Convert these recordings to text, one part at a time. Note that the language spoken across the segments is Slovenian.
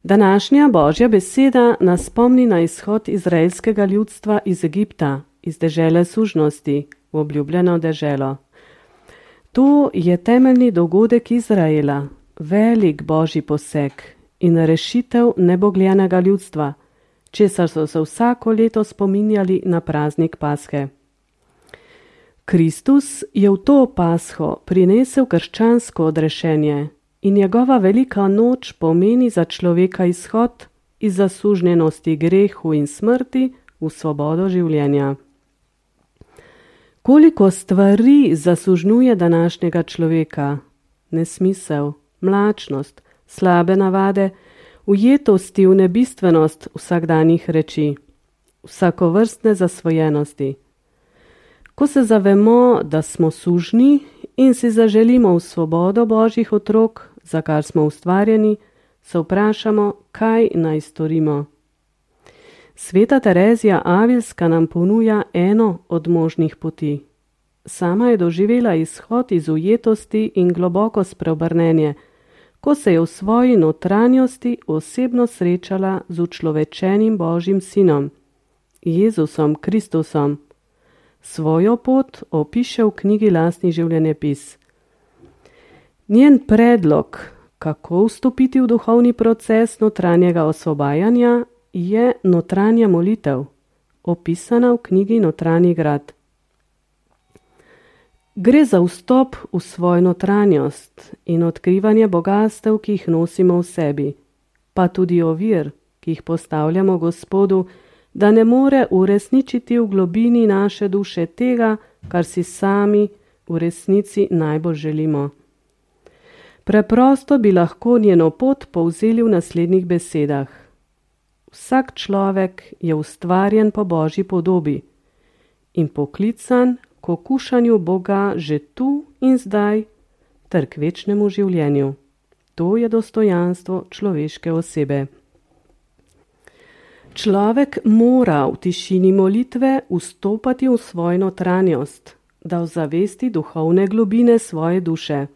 Današnja Božja beseda nas spomni na izhod izraelskega ljudstva iz Egipta, iz dežele sužnosti, v obljubljeno deželo. To je temeljni dogodek Izraela, velik Božji poseg in rešitev nebogljenega ljudstva, česar so se vsako leto spominjali na praznik Pashe. Kristus je v to Pasho prinesel krščansko odrešenje in njegova velika noč pomeni za človeka izhod iz zasužnjenosti grehu in smrti v svobodo življenja. Koliko stvari zasužnjuje današnjega človeka? Nesmisel, mlačnost, slabe navade, ujetosti v nebistvenost vsakdanjih reči, vsakovrstne zasvojenosti. Ko se zavemo, da smo sužnji in si zaželimo v svobodo Božjih otrok, za kar smo ustvarjeni, se vprašamo, kaj naj storimo. Sveta Terezija Avilska nam ponuja eno od možnih poti. Sama je doživela izhod iz ujetosti in globoko spreobrnenje, ko se je v svoji notranjosti osebno srečala z učlovečenim Božjim sinom, Jezusom Kristusom. Svojo pot opiše v knjigi Lastni življenjepis. Njen predlog, kako vstopiti v duhovni proces notranjega osvobajanja, je notranja molitev, opisana v knjigi Notranji grad. Gre za vstop v svojo notranjost in odkrivanje bogastev, ki jih nosimo v sebi, pa tudi ovir, ki jih postavljamo Gospodu, da ne more uresničiti v globini naše duše tega, kar si sami v resnici najbolj želimo. Preprosto bi lahko njeno pot povzeli v naslednjih besedah. Vsak človek je ustvarjen po Božji podobi in poklican k okušanju Boga že tu in zdaj ter k večnemu življenju. To je dostojanstvo človeške osebe. Človek mora v tišini molitve vstopati v svojo notranjost, da ozavesti duhovne globine svoje duše.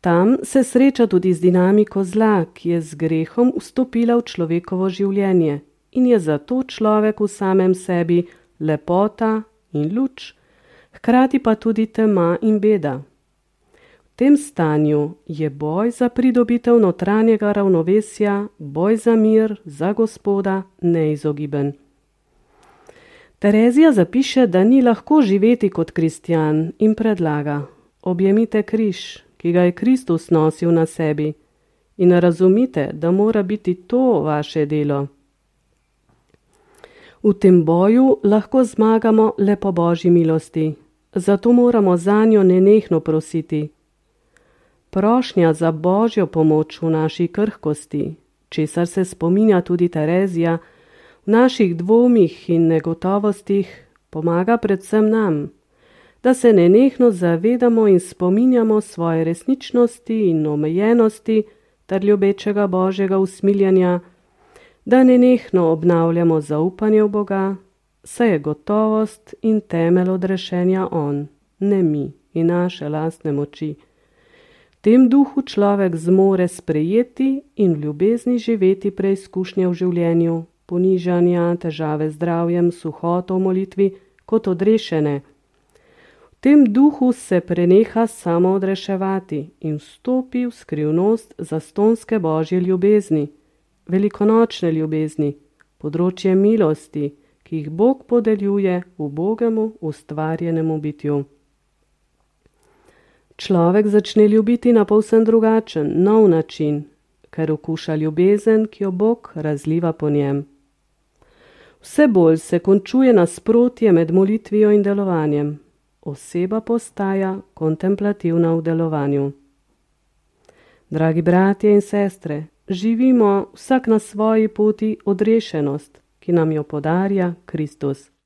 Tam se sreča tudi z dinamiko zla, ki je z grehom vstopila v človekovo življenje in je zato človek v samem sebi lepota in luč, hkrati pa tudi tema in beda. V tem stanju je boj za pridobitev notranjega ravnovesja, boj za mir, za Gospoda neizogiben. Terezija zapiše, da ni lahko živeti kot kristjan in predlaga: objemite križ, ki ga je Kristus nosil na sebi, in razumite, da mora biti to vaše delo. V tem boju lahko zmagamo le po Božji milosti, zato moramo zanjo nenehno prositi. Prošnja za Božjo pomoč v naši krhkosti, česar se spominja tudi Terezija, v naših dvomih in negotovostih, pomaga predvsem nam, da se nenehno zavedamo in spominjamo svoje resničnosti in omejenosti ter ljubečega Božjega usmiljanja, da nenehno obnavljamo zaupanje v Boga, saj je gotovost in temelj odrešenja On, ne mi in naše lastne moči. V tem duhu človek zmore sprejeti in v ljubezni živeti preizkušnje v življenju, ponižanja, težave z zdravjem, suhoto v molitvi kot odrešene. V tem duhu se preneha samo odreševati in vstopi v skrivnost zastonske Božje ljubezni, velikonočne ljubezni, področje milosti, ki jih Bog podeljuje ubogemu ustvarjenemu bitju. Človek začne ljubiti na povsem drugačen, nov način, ker okuša ljubezen, ki jo Bog razliva po njem. Vse bolj se končuje nasprotje med molitvijo in delovanjem. Oseba postaja kontemplativna v delovanju. Dragi bratje in sestre, živimo vsak na svoji poti odrešenost, ki nam jo podarja Kristus.